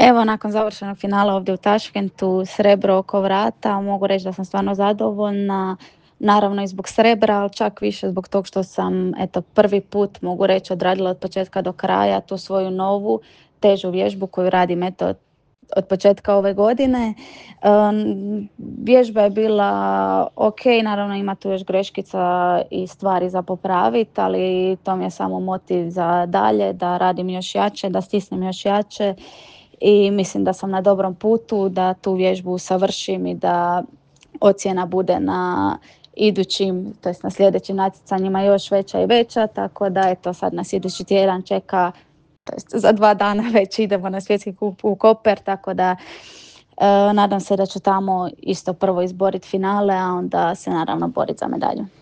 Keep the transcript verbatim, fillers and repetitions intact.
Evo, nakon završenog finala ovdje u Taškentu, srebro oko vrata, mogu reći da sam stvarno zadovoljna. Naravno i zbog srebra, ali čak više zbog tog što sam eto, prvi put, mogu reći, odradila od početka do kraja tu svoju novu, težu vježbu koju radim eto, od početka ove godine. Um, vježba je bila ok, naravno ima tu još greškica i stvari za popraviti, ali to mi je samo motiv za dalje, da radim još jače, da stisnem još jače i mislim da sam na dobrom putu, da tu vježbu savršim i da ocjena bude na idućim, to jest na sljedećim natjecanjima još veća i veća, tako da eto sad nas idući tjedan čeka, to jest za dva dana već idemo na svjetski kup u Koper, tako da e, nadam se da ću tamo isto prvo izboriti finale, a onda se naravno boriti za medalju.